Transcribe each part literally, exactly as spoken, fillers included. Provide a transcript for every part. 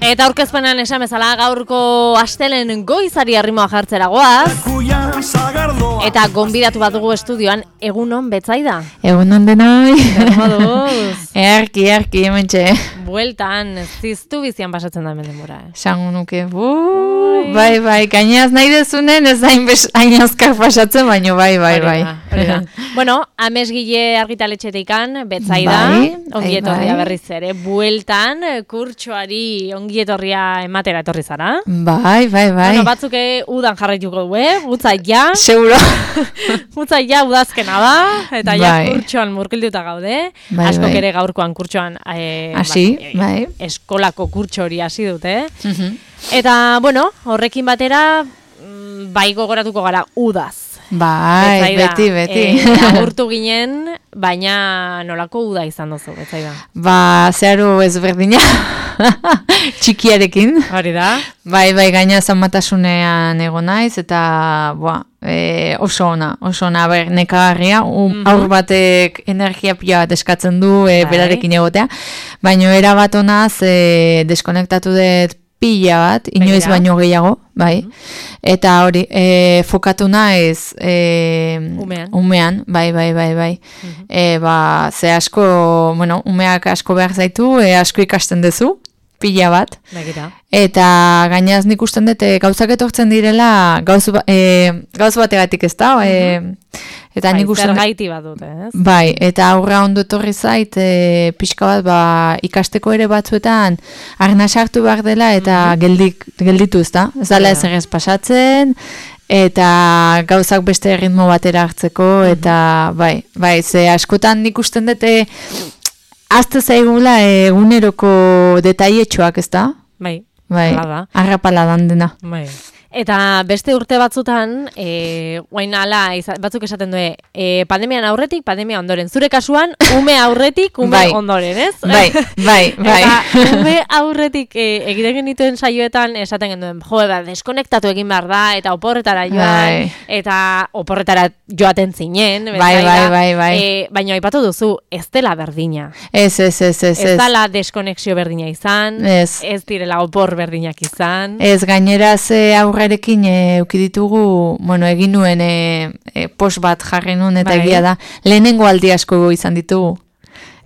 Eta aurkezpenan esan bezala gaurko astelen goizari arrimoa jartzera goaz. Eta gonbidatu bat dugu estudioan, egunon Betsaida. Egunon denoi. Ermoduz. Erki, erki, hementxe. Bueltan, ziztu bizian pasatzen da hemen denbora. Eh? Sango nuke, buu, bai, bai, gainaz nahi dezunen ez hain, hain azkar pasatzen, baino bai, bai, bai. Horida. Bueno, amesgile argitaletxetikan, Betsaida, bai, ongietorria bai. berriz ere, bueltan, kurtsoari ongietorria ematera etorri zara. Bai, bai, bai. Bueno, batzuke udan jarraituko du, eh? Utza ja. Seguro. Utza ja udazkena da, eta ja Bai. kurtsoan murgilduta gaude. Bai, Askok bai. ere gaurkoan kurtsoan eh, Hasi, ba, bai. eskolako kurtso hori hasi dute. Mhm. Eta, bueno, horrekin batera, mm, bai gogoratuko gara udaz. Bai, Betsaida, beti, beti. Eh, agurtu ginen, baina nolako uda izan duzu, Betsaida? Ba, zeharo ezberdina, txikiarekin. Hori da. Bai, bai, gaina zanmatasunean egon naiz, eta boa, e, oso ona, oso ona, ber, nekagarria, um, Mhm. aur batek energia pila bat eskatzen du e, Bai. berarekin egotea, baina era bat onaz e, deskonektatu dut pila bat, inoiz Begira. baino gehiago, bai, eta hori, e, fokatu naiz e, Umean. umean, bai, bai, bai, bai, Mhm. e, ba, ze asko, bueno, umeak asko behar zaitu, e, asko ikasten duzu, pila bat, Begira. eta gainaz nik usten dut e, gauzak etortzen direla gauz, ba, e, gauz bategatik ez da, e, eta Bai, nik usten dut, zergaiti bat dute, ez? bai, eta aurra ondo etorri zait e, pixka bat ba, ikasteko ere batzuetan arna sartu behar dela eta geldik, gelditu ez da, ez dela Ja. ezer ez pasatzen, eta gauzak beste ritmo batera hartzeko, eta bai, bai, ze askotan nik usten dut e, azte zaigula eguneroko detaietxoak, ez da? Bai, Bai, hala da. arrapala dan dena. Bai. Eta beste urte batzutan, e, guain ala, iza- batzuk esaten du, e, pandemian aurretik, pandemia ondoren. Zure kasuan, ume aurretik, ume Bai. ondoren, ez? Bai, bai, bai. Eta ume aurretik e, egiten genituen saioetan esaten genuen, jo, ba, deskonektatu egin behar da, eta oporretara joan, Bai. eta oporretara joaten zinen. Bai, Betsaida. bai, bai, bai. E, baina aipatu duzu, ez dela berdina. Ez, ez, ez, ez, Ez ez. dela deskonexio berdina izan, Ez. ez direla opor berdinak izan. Ez, gainera ze aurrerekin e, euki ditugu, bueno, egin nuen e, e, post bat jarri nuen, eta Bai. egia da, lehenengo aldi asko izan ditugu.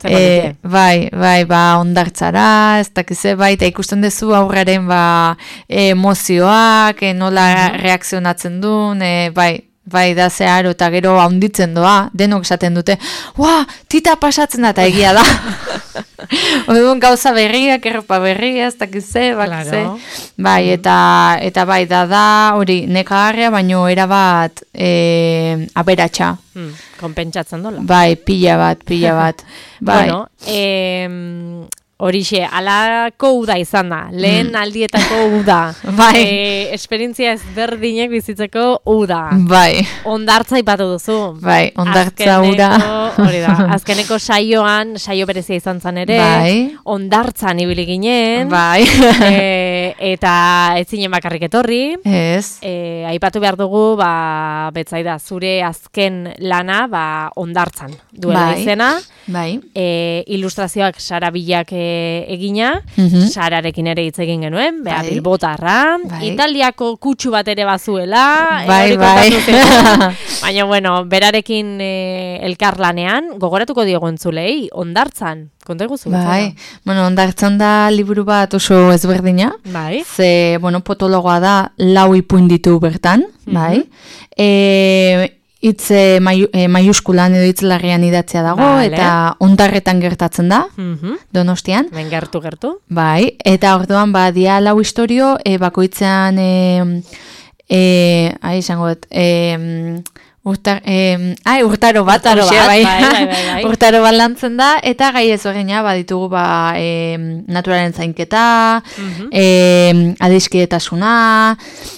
Zer E, badute? bai, bai, ba, ondartzara, ez dakize, bai, eta ikusten duzu aurraren, ba, e, emozioak, e, nola reakzionatzen duen, e, bai, bai, da zeharo, eta gero haunditzen doa, denok esaten dute, ua, tita pasatzen da, eta egia da. Orduan gauza berriak, erropa berria, ez dakize, bakize. Claro. Bai, eta, eta bai, da da, hori, nekagarria, baino erabat e, aberatsa. Hmm, konpentsatzen dola. Bai, pila bat, pila bat. Bai. Bueno, em, horixe, alako uda izan da, lehen aldietako uda. Bai. E, esperientzia ezberdinek bizitzeko uda. Bai, Ondartza ipatu duzu. bai, ondartza ura. Azkeneko- Hori da, azkeneko saioan, saio berezia izan zen ere, Bai. ondartzan ibili ginen, Bai. e, eta ez zinen bakarrik etorri, Ez. e, aipatu behar dugu, ba, Betsaida, zure azken lana, ba, ondartzan duela Bai. izena, Bai. e, ilustrazioak Sara Bilak e, egina, Mhm. Sararekin ere hitz egin genuen, bea Bai. bilbotarra, Bai. Italiako kutsu bat ere bazuela, e, Bai, hori bai. kontatu zigun. Baina, bueno, berarekin e, elkarlanean, gogoratuko diogu entzulei, ondartzan, konta eguzu. Bai. Bueno, ondartzan da liburu bat oso ezberdina. Bai. Ze, bueno, potologoa da, lau ipuin ditu bertan, bai. E, hitz e, maiu- e, maiuskulan edo hitz larrian idatzia dago, Vale. eta ondarretan gertatzen da, Mhm. Donostian. Ben gertu gertu. Bai, eta orduan ba dia lau istorio, e, bakoitzean e, e, ai izango dut, e, Urtar, eh, ai, urtaro bat, urtaro hauxe, bat, bai. bai, bai, bai, bai. Urtaro bat lantzen da, eta gai ezberdina baditugu ba, eh, naturalen zainketa, Mhm. eh, adiskidetasuna,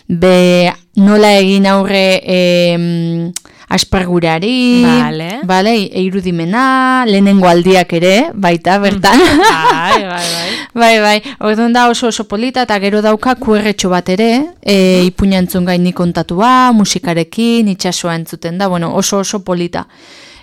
be nola egin aurre eh, aspergurari, Vale. Vale, irudimena, lehenengo aldiak ere, baita, bertan. Bai, bai, bai. Bai, bai, orduan da oso oso polita, eta gero dauka kuerretxo bat ere, e, ipuina entzun gaini kontatua, musikarekin, itxasoa entzuten da, bueno, oso oso polita.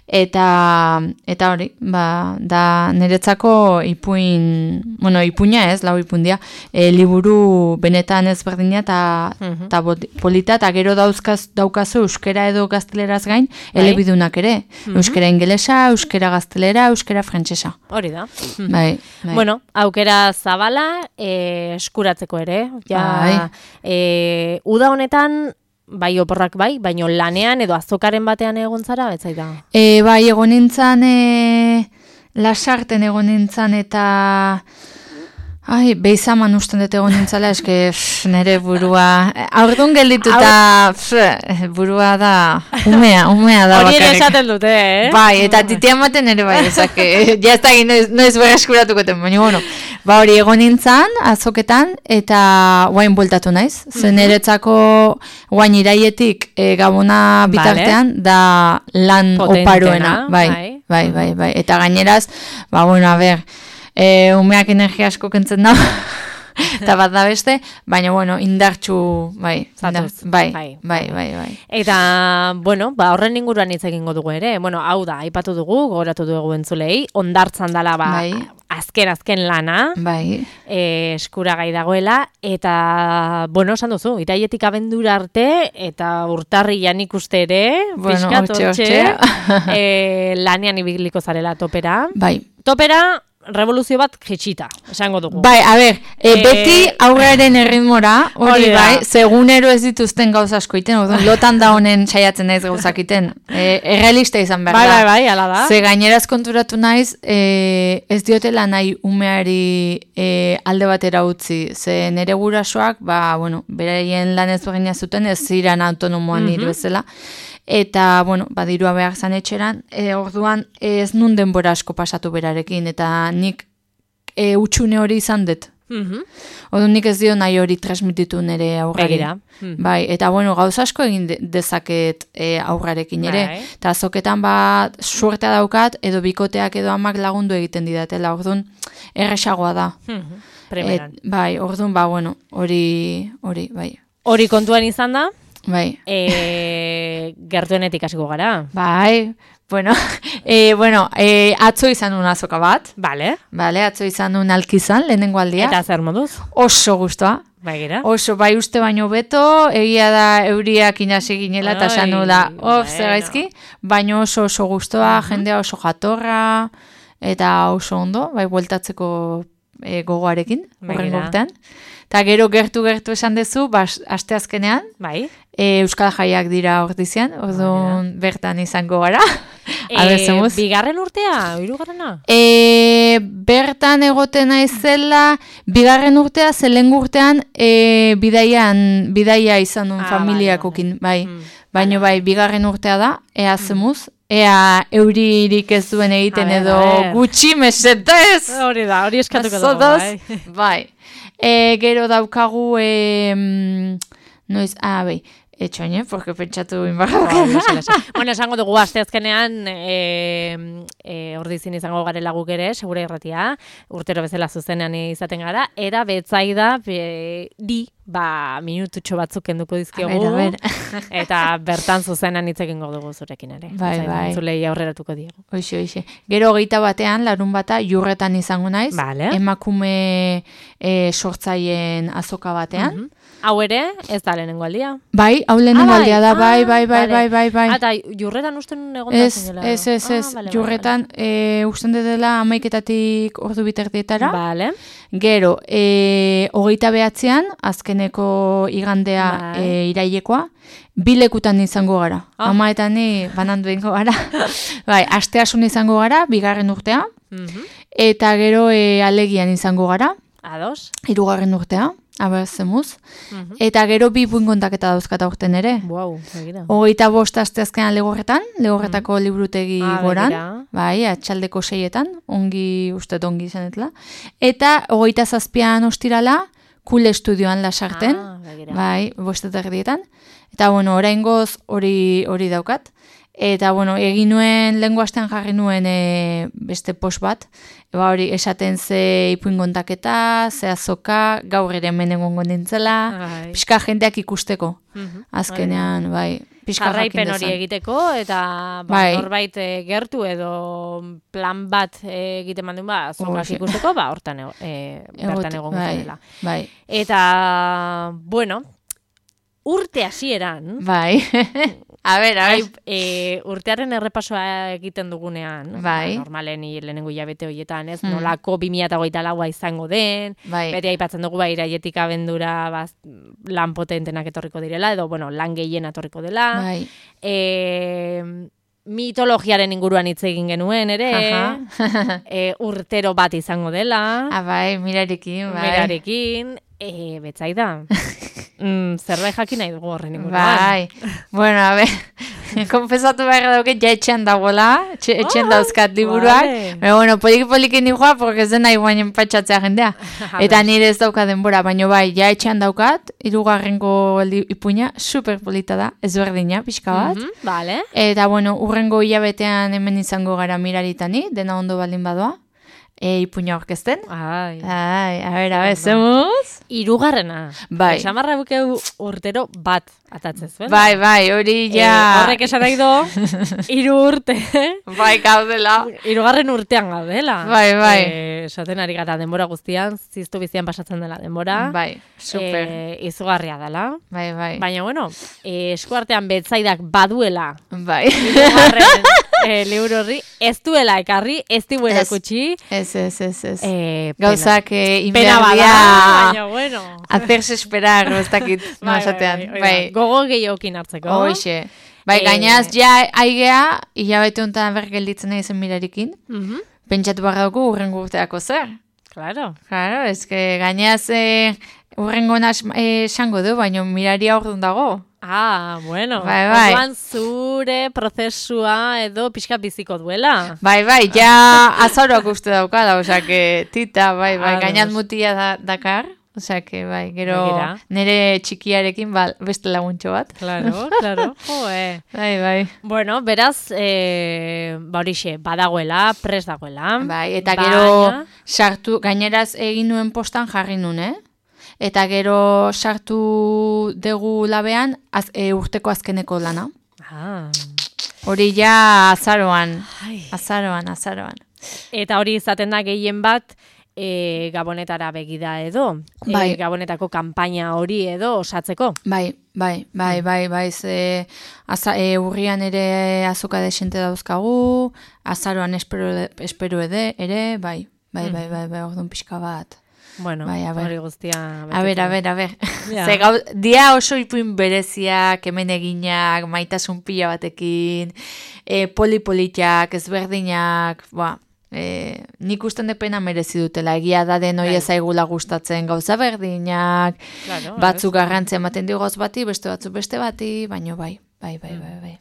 Eta, eta hori, ba, da niretzako ipuin, bueno, ipuina ez, lau ipundia, e, liburu benetan ezberdina eta Mhm. ta polita, eta gero dauzkaz, daukazu euskera edo gazteleraz gain, Bai. elebidunak ere. Mhm. Euskera ingelesa, euskera gaztelera, euskera frantsesa. Hori da. Mhm. Bai, bai. Bueno, aukera zabala, eh, eskuratzeko ere. Ja, Bai. eh, uda honetan, bai oporrak bai, baino lanean edo azokaren batean egon zara, betzai da. E, bai, egon nintzen, e, lasarten egon nintzen, eta ai, beizaman usten dut egon nintzala, eske pff, nire burua, aurdun geldituta pff, burua da, umea, umea da Hori ere bakarrik. esaten dute, eh? Bai, eta titia ematen ere bai, ezake, ja ez da egin, noiz, noiz berreskuratuko ten, baina, bueno, ba hori egon nintzen, azoketan, eta guain bueltatu naiz, zen niretzako guain iraietik e, gabona bitartean, da lan Potentena, oparoena, bai, bai. bai, bai, bai, eta gaineraz, ba, bueno, a ber, e, umeak energia asko kentzen da, eta bat da beste, baina, bueno, indartxu, bai, Zatuz, indar- bai, bai. bai, bai, bai. Eta, bueno, ba, horren inguruan hitz egingo dugu ere. Bueno, hau da, aipatu dugu, gogoratu dugu entzulei, ondartzan dala, ba, Bai. azken azken lana, Bai, e, eskuragai dagoela, eta, bueno, esan duzu, iraietik abendura arte, eta urtarrian ikuste ere, Bueno, pixkat hortxe, hortxe, hortxe. e, lanean ibiliko zarela topera. bai. Topera, revoluzio bat jitsita, esango dugu. Bai, a ber, e, Eh, beti aurraren erritmora, hori hori da. bai, segunero ez dituzten gauza asko iten, orduan, lotan da honen saiatzen naiz gauzak iten, e, errealista izan behar Bai, da. bai, bai, ala da. Ze gaineraz konturatu naiz, e, ez diotela nahi umeari e, alde batera utzi, ze nere gurasoak, ba, bueno, beraien lan ezberdina zuten, ez ziren autonomoan Mhm. nire bezala, eta, bueno, badirua behar zan etxeran, e, orduan ez nun denbora asko pasatu berarekin, eta nik e, utxune hori izan dut. Mhm. Orduan nik ez dio nahi hori transmititu nire aurrari. Begira. Mhm. Bai, eta bueno, gauza asko egin de- dezaket e, aurrarekin ere. Bai. Eta azoketan bat suertea daukat, edo bikoteak edo amak lagundu egiten didatela, orduan erresagoa da. Mhm. Primeran. Et, bai, orduan ba, bueno, hori, hori, bai. Hori kontuan izan da, Bai, e, gertuenetik hasiko gara. bai, bueno, e, bueno e, atzo izan un azoka bat, Vale. bale, atzo izan un alkizan, lehenengo aldia, Eta zer moduz? oso gustoa. Bai gira. Oso, bai uste baino beto, egia da euriak inasi ginela, eta esan Ai, nula, of, bueno. zer gaizki, baino oso oso gustoa, jendea oso jatorra, eta oso ondo, bai, bueltatzeko e, gogoarekin, horren Begira. urtean. Eta gero gertu-gertu esan dezu, bas, asteazkenean, Bai. e, Euskal Jaiak dira ordizian, orduan bertan izango gara, abezemuz. bigarren urtea, hirugarrena? E, bertan egoten naizela, bigarren urtea, zelen urtean, e, bidaian, bidaia izan nun Ah, familiakokin, bai. Mm, Baina bai, bigarren urtea da, ea zemuz, ea euririk ez duen egiten A ver, edo a ver. gutxi mesetez. Hori da, hori eskatuko dugu, Zodoz, bai. bai. E, gero daukagu, e, mm, noiz, ah, bai, etxoin, eh, porque pentsatu inbarra. Bai, lasa, lasa. Bueno, esango dugu asteazkenean e, e, ordizin izango garela guk ere, segura irratia, urtero bezala zuzenean izaten gara, era betzaida be, di, ba, minututxo batzuk kenduko dizkiogu, A ber, a eta bertan zuzenean hitz egingo dugu zurekin ere. Bai, Zain, bai. Entzulei aurreratuko diegu. Hoxe, hoxe. Gero hogeita batean, larun bata, jurretan izango naiz, Vale. emakume e, sortzaien azoka batean. Mhm. Hau ere, ez da lehenengo aldia. Bai, hau lehenengo Ah, bai. aldia da, bai, bai, bai, Ah, bai, bai, bai. Ah, eta jurretan usten egon da Ez, zinela. ez, ez, ez, Ah, vale, jurretan, e, usten dela amaiketatik ordu bitardietara. Vale. Gero, e, hogeita behatzean, azkeneko igandea Bai. e, irailekoa, bilekutan izango gara. Ah. Ama eta ni banandu ingo gara. Bai, asteasun izango gara, bigarren urtea, Mhm. eta gero e, alegian izango gara, Ados. hirugarren urtea. aber zemuz. Mhm. Eta gero bi ipuin kontaketa dauzkat aurten ere. Wow, begira. Hogeita bost asteazkenan Legorretan, Legorretako liburutegi Ah, goran, begira. bai, atxaldeko seietan, ongi, uste ongi izanetela. Eta hogeita zazpian ostirala, Kule Estudioan Lasarten, Ah, begira. bai, bostetak erdietan. Eta, bueno, oraingoz hori hori daukat. Eta, bueno, egin nuen, lehengo astean jarri nuen e, beste post bat. Eba hori, esaten ze ipuin kontaketa, ze azoka, gaur ere hemen egongo nintzela, Ai. pixka jendeak ikusteko. Mhm. Azkenean, bai, pixka Jarraipen jakin hori dezan. egiteko, eta ba, Bai. norbait eh, gertu edo plan bat eh, egiten mandun ba, azokak Hoxe. ikusteko, ba, hortan ego, eh, bertan Egot- egongo bai, dela. bai, Eta, bueno, urte hasieran, bai. A ber, a ai, ber. e, urtearen errepasoa egiten dugunean, Bai. ba, normalen i- lehenengo hilabete horietan, ez, Hmm. nolako bi mila hogeita laua izango den, Bai. beti aipatzen dugu ba, iraietik abendura ba, lan potentenak etorriko direla, edo, bueno, lan gehien etorriko dela. Bai. E, mitologiaren inguruan hitz egin genuen ere, Aha. e, urtero bat izango dela, Ah, bai, mirarekin, bai. merarekin, e, betzaida. mm, zerbait jakin nahi dugu horren inguruan. Bai. Bueno, a ber, konfesatu behar dauke, ja etxean dagoela, etxe- etxean Ah, dauzkat liburuak. vale. Pero bueno, poliki-poliki nijoa, porque ez dena iguain enpatxatzea jendea. A Eta ber. nire ez dauka denbora, baino bai, ja etxean daukat, hirugarrengo li- ipuina, super polita da, ezberdina, pixka bat. Mhm, vale. Eta bueno, urrengo hilabetean hemen izango gara miraritani, dena ondo baldin badoa, e, ipuina aurkezten. Ai. Ai, a ber, a ber, Ondo. zemuz? Hirugarrena. Bai. Esamarra bukeu urtero bat atatzen zuen. Bai, bai, hori Eh, ja... horrek esan nahi du, hiru urte, Bai, gaudela. hirugarren urtean gaudela. Bai, bai. Eh, esaten ari gara denbora guztian, ziztu bizian pasatzen dela denbora. Bai, super. Eh, izugarria dela. Bai, bai. Baina, bueno, eh, eskuartean betzaidak baduela Bai. hirugarren eh, liburu horri, ez duela ekarri, ez dibuela Ez. kutsi. Ez, ez, ez, ez. Eh, pena. Gauzak eh, Pena bada, inberdia... baina, bueno. Hacerse esperar, ez dakit, no Bai, esatean. bai, bai, Bai, gogo gehiokin hartzeko. hoxe. Bai, Eh, gainaz, ja, aigea, hilabete honetan berk gelditzen nahi zen mirarikin. Mhm, Pentsatu behar dugu urrengo urteako zer. claro. Claro, ez que gainaz eh, urrengo nas eh, esango du, baina miraria orduan dago. Ah, bueno. Bai, bai. Orduan zure prozesua edo pixka biziko duela. Bai, bai, ja azaroak uste daukada, osea que tita, bai, bai, Ados. gainaz mutia da, dakar, osea que bai, gero Begira. nire txikiarekin ba, beste laguntxo bat. Claro, claro. Joe. Bai, bai. Bueno, beraz, eh, ba horixe, badagoela, pres dagoela. Bai, eta Baina- gero sartu, gaineraz egin nuen postan jarri nuen, eh? Eta gero sartu dugu labean az, e, urteko azkeneko lana. Ah. Hori ja azaroan, Ai. azaroan, azaroan. Eta hori izaten da gehien bat, e, Gabonetara begida edo. Bai. E, Gabonetako kanpaina hori edo osatzeko. Bai, bai, bai, bai, bai, ze aza, e, urrian ere azoka desente dauzkagu, azaroan espero, espero ede, ere, bai, bai, bai, bai, bai, orduan pixka bat. Bueno, Bai, a ber. hori guztia. A ber, a ber, a ber. Ja. Ze gau, dia oso ipuin bereziak, hemen eginak, maitasun pila batekin, e, polipolitiak, ezberdinak, ba, e, nik usten depena merezi dutela, egia da den hori Bai. ezaigula gustatzen gauza berdinak, Claro, batzuk garrantzia ematen diogoz bati, beste batzuk beste bati, baino bai, bai, bai, bai, bai.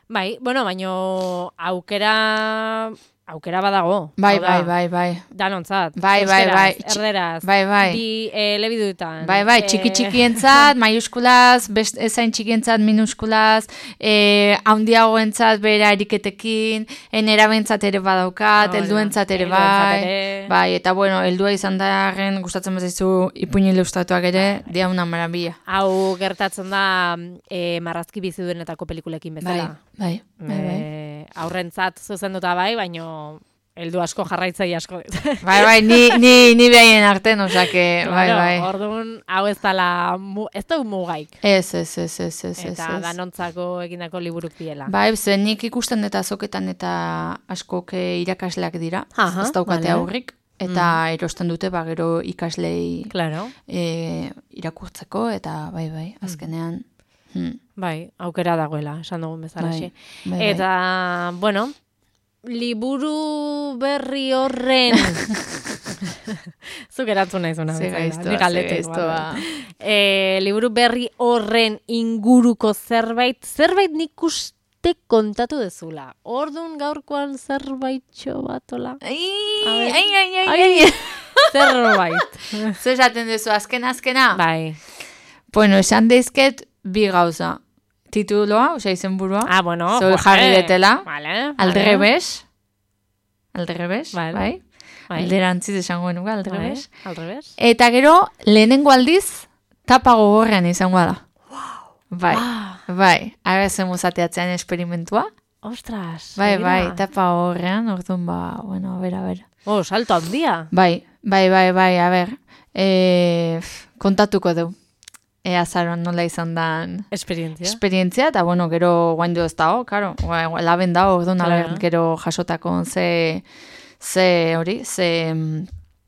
Bai, bueno, baino aukera aukera badago. Bai, Hau da, bai, bai, bai. Danontzat. Bai, bai, euskeraz, bai. Txi- Erderaz. bai, bai. Bi eh, elebiduetan. Bai, bai, txiki txikientzat, maiuskulaz, best, ezain txikientzat minuskulaz, e, handiagoentzat bera eriketekin, enerabentzat ere badaukat, Hori da, helduentzat ere helduentzat bai. ere. Bai, eta bueno, heldua izan darren gustatzen bazizu ipuin ilustratuak ere, Bai. dia una maravilla. Hau gertatzen da eh, marrazki biziduenetako pelikulekin Bai, bezala. bai, bai, bai. Eh, aurrentzat zuzenduta bai, baino heldu asko jarraitzaile asko dit. Bai, bai, ni, ni, ni behaien arten, osake, bai, Claro, bai. Orduan, hau ez dala, mu, ez da mugaik. Ez, ez, ez, ez, ez, ez, Eta ez. danontzako egindako liburuk diela. Bai, ze nik ikusten eta azoketan eta askok eh, irakasleak dira, Aha, ez daukate vale. aurrik, eta erosten dute ba gero ikaslei Claro. e, irakurtzeko, eta bai, bai, azkenean. Hmm. Bai, aukera dagoela, esan dugun bezala. Bai, bai, bai. Eta, bueno, liburu berri horren Zuk erantzun nahi zuna. Ze gaiztoa, ze gaiztoa. E, liburu berri horren inguruko zerbait, zerbait nik uste kontatu dezula. Orduan gaurkoan zerbaitxo batola. Ai, ai, ai, ai, ai. Zerbait. Zer esaten duzu, azkena, azkena? Bai. Bueno, esan deizket bi gauza. Tituloa, osea izenburua. Ah, bueno. Zoi jarri detela. Vale. Aldrebes. Aldrebes, Vale. bai. Bai. Alderantziz esango nuga, aldrebes. Bai, aldrebes. Eta gero, lehenengo aldiz, tapa gogorrean izango da. Bai, Ah. bai. Ara zen muzateatzean esperimentua. Ostras. Bai, begira. bai, tapa gogorrean, orduan ba, bueno, a ber, a ber. Oh, salto handia. Bai, bai, bai, bai, a ber. E, kontatuko du. Ea zaroan nola izan dan Esperientzia. esperientzia, eta bueno, gero guain ez dago, karo, laben dago, orduan, a Claro. ber, gero jasotako ze, ze hori, ze...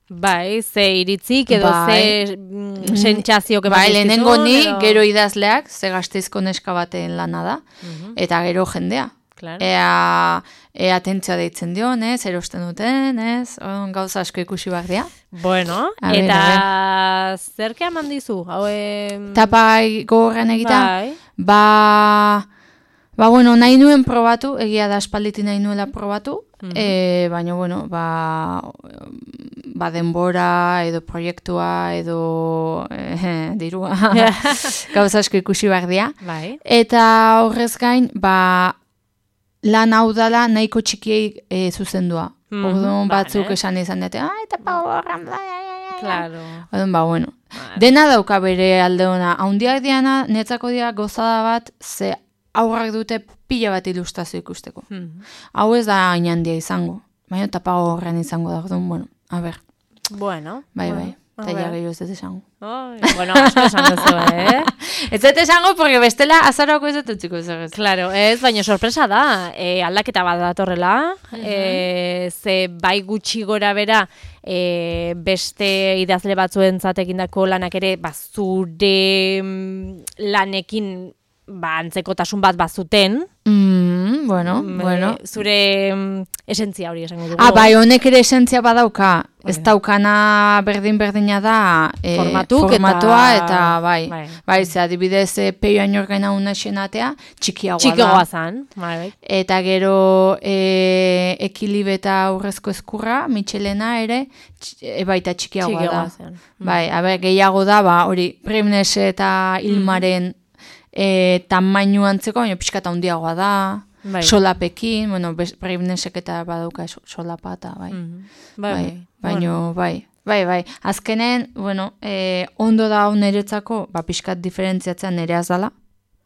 Bai, ze iritzik edo Bai. ze mm, sentsazio que Bai, lehenengo ni, edo... gero idazleak, ze gazteizko neska baten lana da, Mhm, eta gero jendea. claro. Ea, ea atentzioa deitzen dion, ez, erosten duten, ez, orduan gauza asko ikusi behar dira. Bueno, A ber, eta zerke eman dizu? Hau, em... Tapa gogorrean egita, Bai. ba, ba, bueno, nahi nuen probatu, egia da espalditin nahi nuela probatu, Mhm. e, baina, bueno, ba, ba denbora, edo proiektua, edo eh, dirua, gauza asko ikusi behar dira. Bai. Eta horrez gain, ba, lan hau dala nahiko txikiei e, zuzendua. Mhm, Orduan vale. batzuk esan izan dute, ah, eta pa horran, bla, bla, bla, bla." Claro. Orduan, ba, bueno. Vale. Dena dauka bere alde ona. Haundiak diana, netzako dira gozada bat, ze aurrak dute pila bat ilustrazio ikusteko. Mhm. Hau ez da hain handia izango. Baina tapa horren izango da. Orduan, bueno, a ber, Bueno. bai, bueno, bai. a Eta ja ver. gehiago ez dut esango. Ai, bueno, asko esan duzu, eh? Ez dut esango, porque bestela azarako ez dut utziko zer ez. Claro, ez, baina sorpresa da, e, aldaketa bat datorrela, e, ze bai gutxi gora bera, e, beste idazle batzuentzat egindako lanak ere, ba, zure mm, lanekin ba, antzekotasun bat bazuten, Mm, bueno, mm, bueno. e, zure mm, esentzia hori esango dugu. Ah, bai, honek ere esentzia badauka. Ez Hori da. daukana berdin-berdina da e, Formatuk formatua eta- eta, bai. bai. Bai, ze adibidez e, peio ainorgaina una xenatea, txikiagoa Txikiagoa da. zan, bai. Eta gero e, ekilibe eta aurrezko eskurra, Michelena ere, tx, e, baita txikiagoa, Txikiagoa da. zen. Bai, a ber, gehiago da, ba, hori, Primnes eta Ilmaren e, tamainu antzeko, baina pixka eta handiagoa da. Bai. Solapekin, bueno, Primnesek eta badauka so- solapa eta, bai. Mhm. Bai, Bai, bai. baino, bai, bai, bai. Azkenen, bueno, eh, ondo da hau niretzako, ba, pixkat diferentziatzea nireaz dala,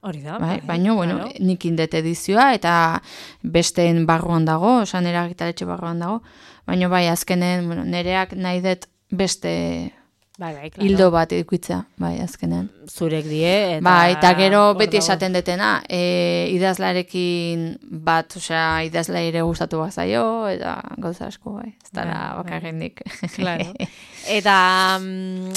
Hori da. bai, baino, bueno, claro. nik indet edizioa, eta besteen barruan dago, oza, nire argitaletxe barruan dago, baino, bai, azkenen, bueno, nireak nahi dut beste Bai, bai, claro. hildo bat edukitzea, bai, azkenen. Zurek die, eta... Bai, eta gero hor beti dago. esaten detena, e, idazlarekin bat, osea, idazlaire gustatu bazaio, eta gauza asko, bai, ez dara Bai, bai. bakarrik nik. Claro. Eta mm,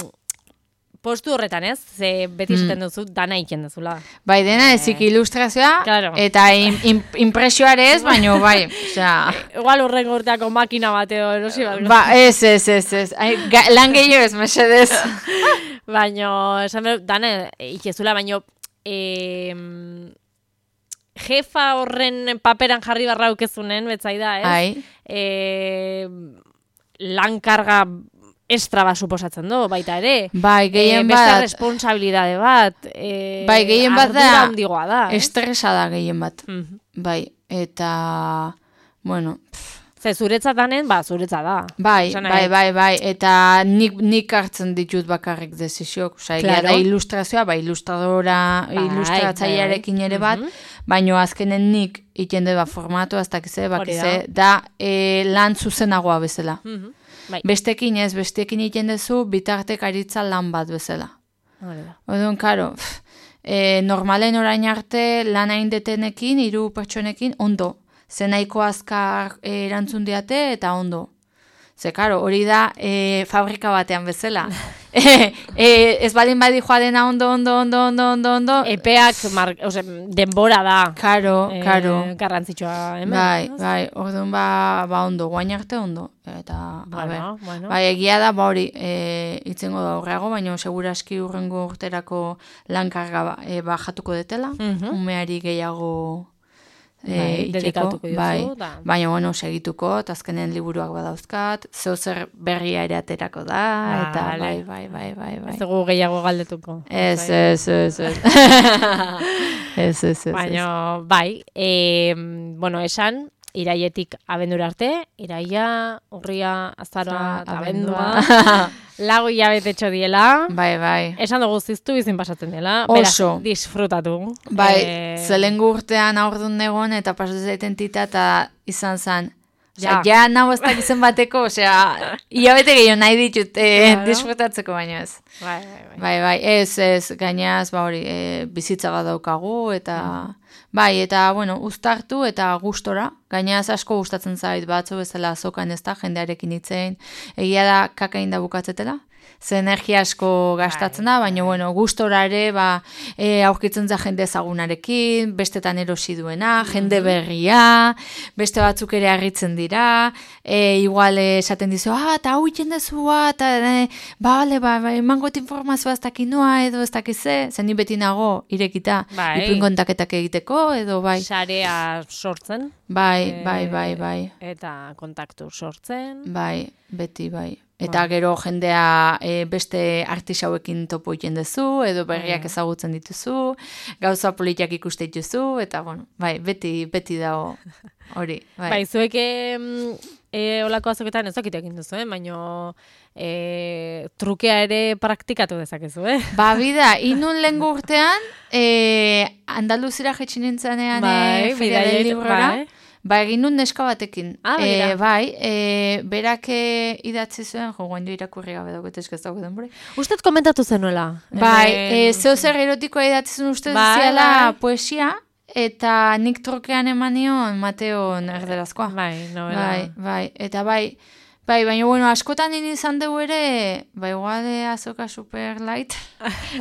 postu horretan ez, ze beti esaten duzu, dana iken duzula. Bai, dena ezik ilustrazioa, Claro. eta in, in, impresioare ez, baino, bai, osea... Igual horren urteako makina bateo erosi bat. Ba, ez, ez, ez, ez. Ai, ga, lan gehiago ez, mesedez. Baino, esan behar, dana ikezula, baino, e, jefa horren paperan jarri barra ukezunen, betzaida, ez? Ai, E, lan karga estra bat suposatzen du, baita ere. bai, gehien e, beste bat, responsabilidade bat. E, bai, gehien bat da, ardura handigoa da. Eh? estresa da gehien bat. Mhm. Bai, eta, bueno, pff, Ze zuretzat danen, ba, zuretzat da. bai, Esan bai, nahi- bai, bai, eta nik, nik hartzen ditut bakarrik desizioak, osea, egia Claro. da ilustrazioa, bai, ilustradora, Bai, ilustratzailearekin bai. ere bat, Mhm. baino azkenen nik ikende ba formatu, ez dakize, bakize, da, e, lan zuzenagoa bezala. Mhm. Bai, Bestekin ez, bestekin egiten duzu bitartekaritza lan bat bezala. hori da. Orduan, karo, pff, e, normalen orain arte lan hain detenekin, hiru pertsonekin, ondo. Ze nahiko azkar e, erantzun diate eta ondo. Ze, karo, hori da e, fabrika batean bezala. e, e, ez balin badi joa dena ondo, ondo, ondo, ondo, ondo, ondo. Epeak, mar, ose, denbora da. Karo, eh, karo. Garrantzitsua hemen. Bai, bai, orduan ba, ba ondo, guain arte ondo. Eta, bueno, a ber, bueno. bai, egia da, ba hori, e, itzengo da horreago, baina seguraski urrengo urterako lankarga ba, e, bajatuko detela, Mhm. umeari gehiago e, Bai, itxeko, dedikatuko diozu, bai, da. baina bueno, segituko, eta azkenen liburuak badauzkat, zeu zer berria ere aterako da, eta Vale. bai, bai, bai, bai, bai. Ez dugu gehiago galdetuko. Ez, Bai. ez, ez, ez. Ez, ez, ez. Baina, bai, e, bueno, esan, iraietik abendura arte, iraia, urria, azaroa, Ah, eta abendua. abendua, lagu hilabetetxo diela, Bai, bai. esan dugu ziztu bizin pasatzen dela, Oso. beraz, disfrutatu. Bai, Eh, zelengo urtean aurdun negon eta pasatzen zaiten tita eta izan zan. Osea, Ja. ja, nahu ez dakizen bateko, osea, hilabete gehiago nahi ditut eh, Claro. disfrutatzeko baino ez. Bai, bai, bai. Bai, bai, ez, ez, gainaz, ba hori, e, bizitza bat daukagu, eta, bai, eta, bueno, uztartu eta gustora, gainaz asko gustatzen zait, batzu bezala azokan ez da, jendearekin hitzein, egia da kakain da bukatzetela, ze energia asko gastatzen da, baina, bueno, gustora ere, ba, e, aurkitzen za jende ezagunarekin, bestetan erosi duena, jende berria, beste batzuk ere harritzen dira, e, igual eh, esaten dizu, ah, eta hau iten dezua, eta, e, bale, ba, ba, emangot informazioa ez dakinoa, edo ez dakize, zen ni beti nago irekita, Bai. ipuin kontaketak egiteko, edo bai, Sarea sortzen. bai, bai, bai, bai, Eta kontaktu sortzen. bai, beti, bai. Eta gero jendea e, beste artisauekin topo egiten duzu, edo berriak ezagutzen dituzu, gauza politiak ikuste dituzu, eta bueno, bai, beti, beti dago hori. Bai, Bai, zuek em, e, olako azoketan ez dakit egin duzu, eh? baina e, trukea ere praktikatu dezakezu, eh? Ba, bida, inun lehen urtean, e, Andaluzira jetxin nintzanean Bai, e, Feria del bidaiet- Librora, bai. ba, egin nun neska batekin. Ah, e, begira. bai, e, berak e, idatzi zuen, jo, guain irakurri gabe dagoet ez dago denbora. Usted komentatu zenuela. Bai, Hemen- e, zeo zer erotikoa idatzi zuen uste Bai, ziala bai. poesia, eta nik trukean eman nion Mateon erderazkoa. Bai, novela. Bai, bai, eta bai, bai, baina bueno, askotan nini izan dugu ere, bai, iguale azoka super light,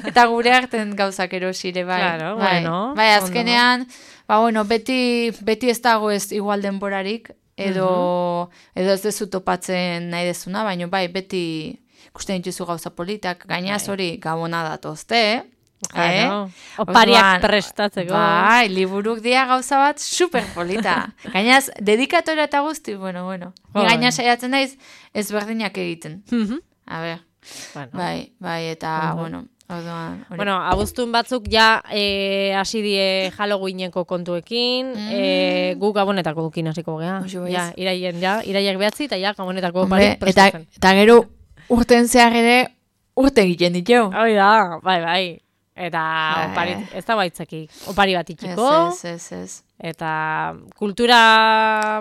eta gure arten gauzak erosire, bai. Claro, bai, bueno, bai, ondo. azkenean, ba, bueno, beti, beti ez dago ez igual denborarik, edo, edo ez dezu topatzen nahi dezuna, baina bai, beti ikusten dituzu gauza politak, gainaz hori gabona datozte, Claro. eh? Opariak Orduan, prestatzeko. Bai, liburuk dia gauza bat super polita. Gainaz, dedikatora eta guzti, bueno, bueno. Ni Jo, gaina bai. saiatzen naiz ezberdinak egiten. Mhm. A ber, Bueno. bai, bai, eta, Ondo. bueno, orduan, hori. Bueno, abuztun batzuk ja eh, hasi die Halloweeneko kontuekin, Mm. eh, gu gabonetako dukin hasiko gea. Oso baiz. Ja, iraien ja, iraiak behatzi eta ja gabonetako Hombre, barik eta, prestatzen. eta gero urten zehar ere urte egiten ditu. Hoi da, bai, bai. Eta Bai. opari, ez da baitzaki, opari bat Ez, itxiko, ez, ez, ez. eta kultura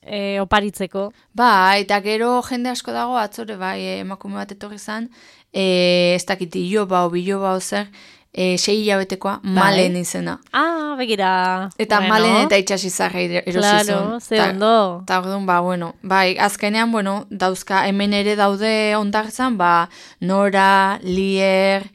e, oparitzeko. Bai, eta gero jende asko dago atzore, bai, eh, emakume bat etorri zan, eh, ez dakit iloba o biloba o zer, eh, sei hilabetekoa, malen izena. Ah, begira. Eta bueno, malen eta itxasizarra erosi Claro, zuen. ze Ta- ondo. Eta orduan, ba, bueno, bai, azkenean, bueno, dauzka, hemen ere daude ondartzan, ba, Nora, Lier,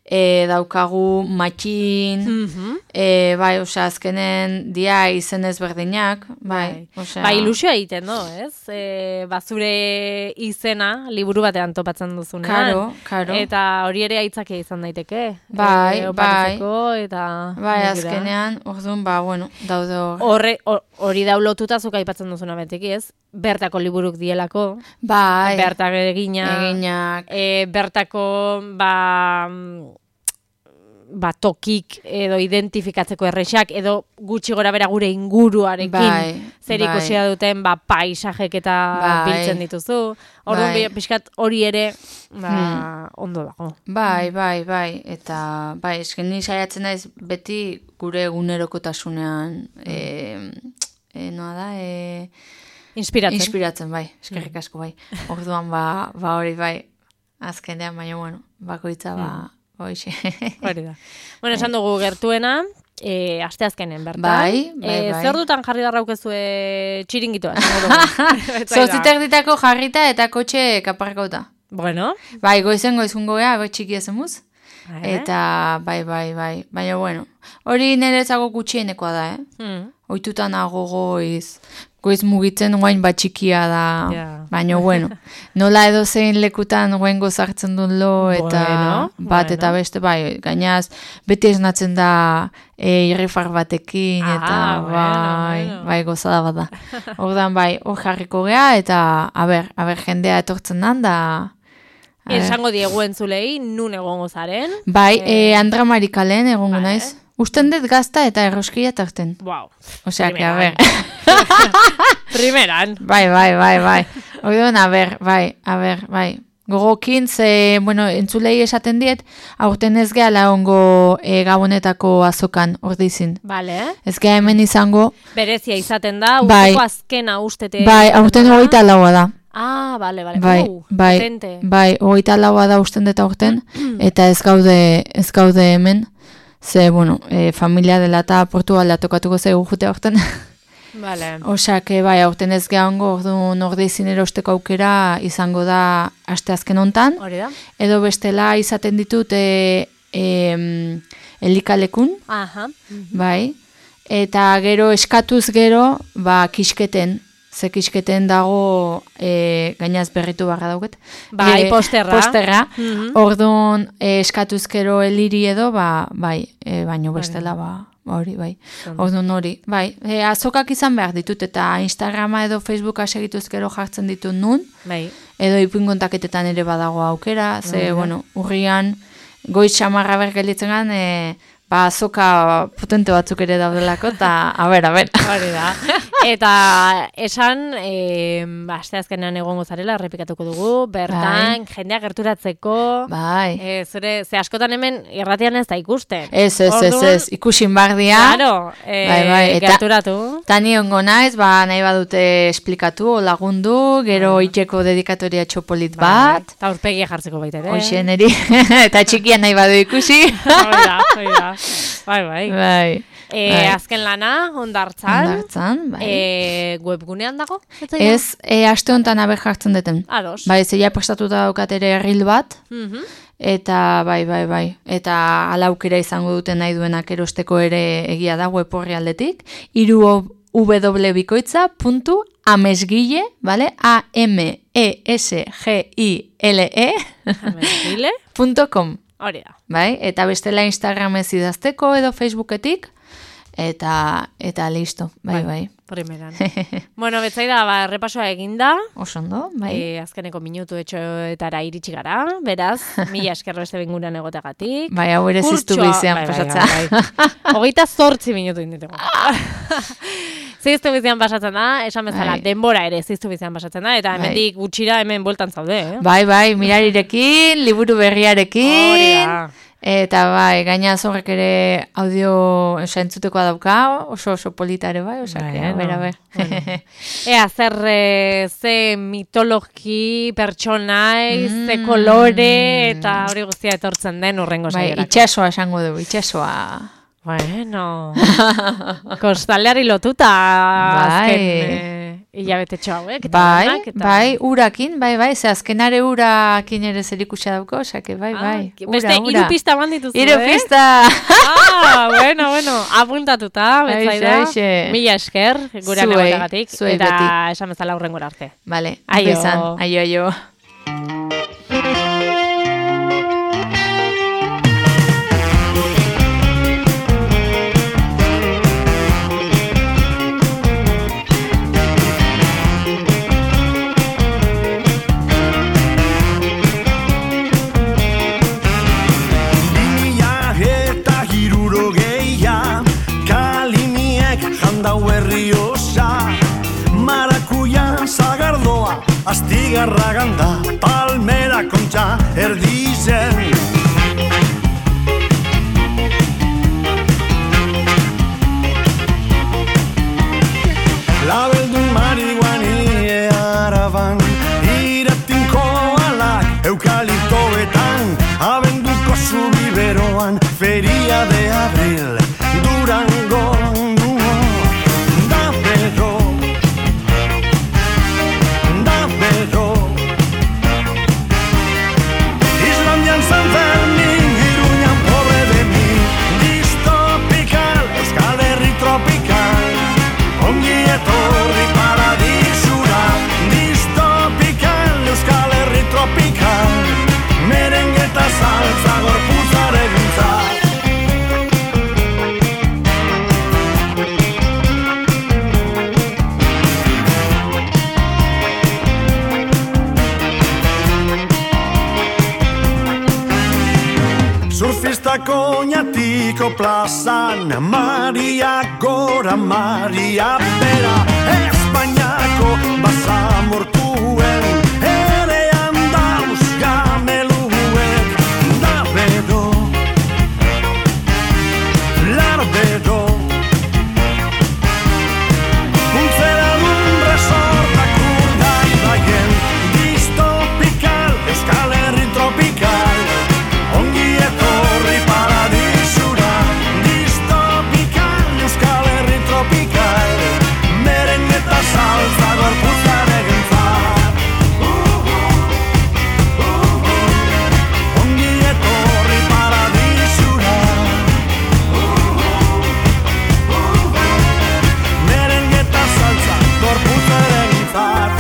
e, daukagu Matxin, Mhm. e, bai, osea, azkenen dia izen ezberdinak, bai, osea. Ba, ilusioa egiten do, ez? E, bazure izena liburu batean topatzen duzunean. Karo, karo. Eta hori ere aitzakia izan daiteke. Bai, e, oparitzeko, eta... Bai, begira. azkenean, orduan, ba, bueno, daude hor. Horre, hor- hori daulotuta zuk aipatzen duzuna beteki, ez? Bertako liburuk dielako, Bai, bertak egina, eginak, e, bertako, ba, mm, ba, tokik edo identifikatzeko errexak, edo gutxi gora bera gure inguruarekin Bai, zer bai. ikusia duten, ba, paisajek eta Bai. biltzen dituzu. Orduan, Bai. bi- pixkat hori ere, ba, ondo dago. bai, bai, bai, eta, bai, esken ni saiatzen naiz beti gure egunerokotasunean, e, e, noa da, e, Inspiratzen. inspiratzen, bai, eskerrik asko, bai. Orduan, ba, ba hori, bai, azkenean, baina, bueno, bakoitza, ba, hoxe. Hori da. Bueno, esan dugu gertuena, E, asteazkenen bertan. Bai, bai, e, bai. Zer dutan jarri darraukezue txiringitoa? Zortziter ditako jarrita eta kotxe kaparkauta. Bueno. Bai, goizen goizungo gea, bai txiki ezemuz. Eh? Eta, bai, bai, bai. Baina, bueno, hori niretzako gutxienekoa da, eh? Hmm. Oitutan nago goiz, goiz mugitzen guain bat txikia da, Yeah. baina bueno, nola edo zein lekutan guain gozartzen duen lo, eta Bueno, bat eta bueno. beste, bai, gainaz, beti esnatzen da e, irrifar batekin, Ah, eta bueno, bai, bueno. bai, gozada bat da. Ordan bai, hor jarriko gea, eta, a ber, a ber, jendea etortzen dan, da... a ber. Esango diegu entzulei, nun egongo zaren. Bai, Eh, e, Andra Marikalen egongo vale. naiz. Usten dut gazta eta erroskia tarten. Wow. Osea, que a Primeran. ber... Primeran. Bai, bai, bai, bai. Orduan, a ber, bai, a ber, bai. Gogokin, ze, bueno, entzulei esaten diet, aurten ez gehala ongo e, gabonetako azokan, ordizin. Vale. Ez geha hemen izango, Berezia izaten da, Bai. urteko azkena ustete. bai, aurten hogeita laua da. Ah, vale, vale. Bai, Uh, bai, potente. bai, hogeita laua da usten deta aurten, eta ez gaude, ez gaude hemen, ze, bueno, e, familia dela eta Portugalda tokatuko zaigu jute aurten. Vale. Osak, bai, aurten ez gehango, orduan ordeizin erosteko aukera izango da asteazken hontan, Hori da. edo bestela izaten ditut e, e, elikalekun, Aha. bai, eta gero eskatuz gero, ba, kisketen, ze kisketen dago e, gainaz berritu barra dauket. Bai, E, posterra. Posterra, Mhm. orduan e, eskatuz gero eliri edo, ba, bai, e, baino bestela, ba, hori, bai. Orduan hori, bai. E, azokak izan behar ditut, eta Instagrama edo Facebooka segituz gero jartzen ditut nun, Bai. edo ipuin kontaketetan ere badago aukera, ze, bueno, urrian, goiz xamarra bergelitzen gan, e, ba, azoka potente batzuk ere daudelako, eta, a ber, a ber. Hori da. Eta esan, e, asteazkenean egongo zarela, errepikatuko dugu, bertan, jendea gerturatzeko, Bai. e, zure, ze askotan hemen irratian ez da ikusten. Ez, ez, ez, Orduan, ez, ikusin bardia. Claro, e, Bai, bai, eta- gerturatu. Tani ongo naiz, ba, nahi badute esplikatu, o lagundu, gero itxeko dedikatoria txopolit bat, Eta aurpegia jartzeko baita ere. hoxen eri, eta txikia nahi badu ikusi. Hori da, hori da. Bai, bai. Bai. E, bai. azken lana, ondartzan. Ondartzan, bai. E, webgunean dago? Ez, Ez, e, aste honetan abe jartzen duten. Ados. Bai, zeia prestatuta daukat ere erril bat, Mhm. eta bai, bai, bai. Eta ala aukera izango duten nahi duenak erosteko ere egia da web orri aldetik. Iru www.bikoitza puntu amesgile, vale? A M E S G I L E Amesgile? punto com. Hori da. Bai, eta bestela Instagramez idazteko edo Facebooketik, eta eta listo, bai, bai. Primeran. Bueno, betzaida, ba, errepasoa eginda. Oso ondo, bai. E, azkeneko minutu etxoetara iritsi gara, beraz, mila eskerro beste binguran egotegatik. Bai, hau ere ziztu Kurtsoa- bizian bai, bai, pasatzea. bai, bai. Hogeita zortzi minutu inditugu. Ziztu bizian pasatzen da, esan bezala, Bai. denbora ere ziztu bizian pasatzen da, eta Bai. hemendik gutxira hemen bueltan zaude, eh? Bai, bai, mirarirekin, liburu berriarekin. Hori da. Eta bai, gaina zorrek ere audio osa entzutekoa dauka, oso oso polita ere bai, osa, Bai, a ber, a no. ber. Bueno. Ea, zer, eh, ze mitologi, pertsonai, ze Mm. kolore, eta hori guztia etortzen den urrengo Bai, saiorako. itxasoa esango du, itxasoa. Bueno, kostaldeari lotuta Bai. azken eh, hilabetetxo hauek. Eta Bai, denak, eta... bai, urakin, bai, bai, ze azkenare urakin ere zerikusia dauko, osake, bai, Ah, bai, ura, beste ura. hiru pista eman dituzu, Hiru eh? pista! Ah, bueno, bueno, apuntatuta, betzaida. Aixe, aixe. Mila esker, gure Zuei, negotegatik, zuei eta beti. esan bezala hurrengora arte. Vale, Aio. ondo izan, aio, aio. Mila eta hirurogeia, kalimiek jandau herri osa, marakuia zagardoa, astigarra ganda, palmera kontxa erdizen. Labeldun marihuani araban, iratinko alak eukaliptoetan, abenduko zubiberoan, feria de abril, dura Pedro plazan, Maria gora, Maria bera, Espainiako basamortuen erean dauz gameluek, da bedo, lar bedo, untzera dun resortak urdai daien, distopikal, Euskal Herri tropikal, ongi etorri paradisura, distopikal, Euskal Herri tropikal, meren eta salsa gorputzaren entzat. Ongi etorri paradisura, meren eta salsa gorputzaren entzat.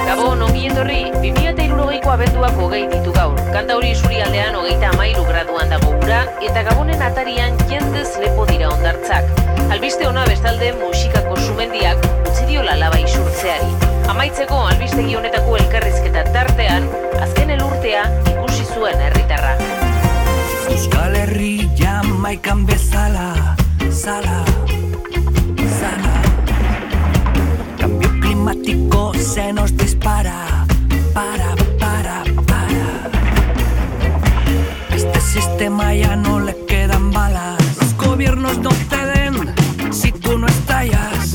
Gabon, ongi etorri, bi mila hirurogeiko abenduak hogei ditu gaur. Kantauri isurialdean hogeita hamairu graduan dago ura, eta Gabonen atarian jendez lepo dira hondartzak. Albiste ona bestalde musikako sumendiak utzi diola laba isurtzeari. Amaitzeko albistegi honetako elkarrizketa tartean, azken elurtea ikusi zuen herritarra. Euskal Herri Jamaikan bezala, zala, zala. Cambio climático se nos dispara, para, para, para. Este sistema ya no le quedan balas. Los gobiernos no ceden si tú no estallas.